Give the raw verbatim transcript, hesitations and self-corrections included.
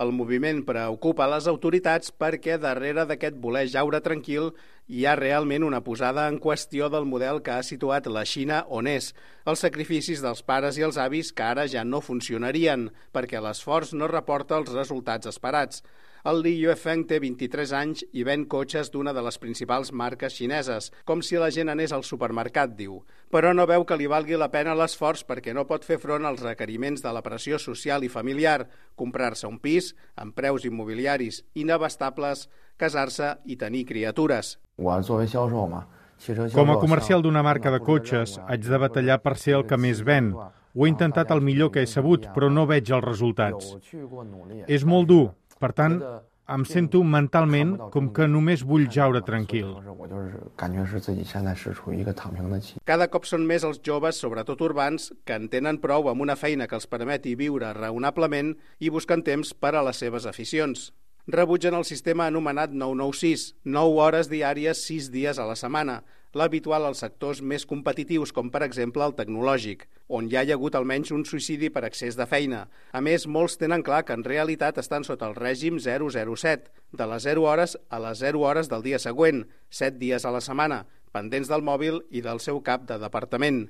El moviment preocupa les autoritats perquè darrere d'aquest voler jaure tranquil hi ha realment una posada en qüestió del model que ha situat la Xina on és, els sacrificis dels pares i els avis que ara ja no funcionarien perquè l'esforç no reporta els resultats esperats. El Li Yuefeng té vint-i-tres anys i ven cotxes d'una de les principals marques xineses, com si la gent anés al supermercat, diu. Però no veu que li valgui la pena l'esforç perquè no pot fer front als requeriments de la pressió social i familiar, comprar-se un pis amb preus immobiliaris inabastables, casar-se i tenir criatures. Com a comercial d'una marca de cotxes, haig de batallar per ser el que més ven. Ho he intentat el millor que he sabut, però no veig els resultats. És molt dur. Per tant, em sento mentalment com que només vull jaure tranquil. Cada cop són més els joves, sobretot urbans, que en tenen prou amb una feina que els permeti viure raonablement i busquen temps per a les seves aficions. Rebutgen el sistema anomenat nou nou sis, nou hores diàries, sis dies a la setmana, l'habitual als sectors més competitius, com per exemple el tecnològic, on ja hi ha hagut almenys un suïcidi per excés de feina. A més, molts tenen clar que en realitat estan sota el règim zero zero set, de les zero hores a les zero hores del dia següent, set dies a la setmana, pendents del mòbil i del seu cap de departament.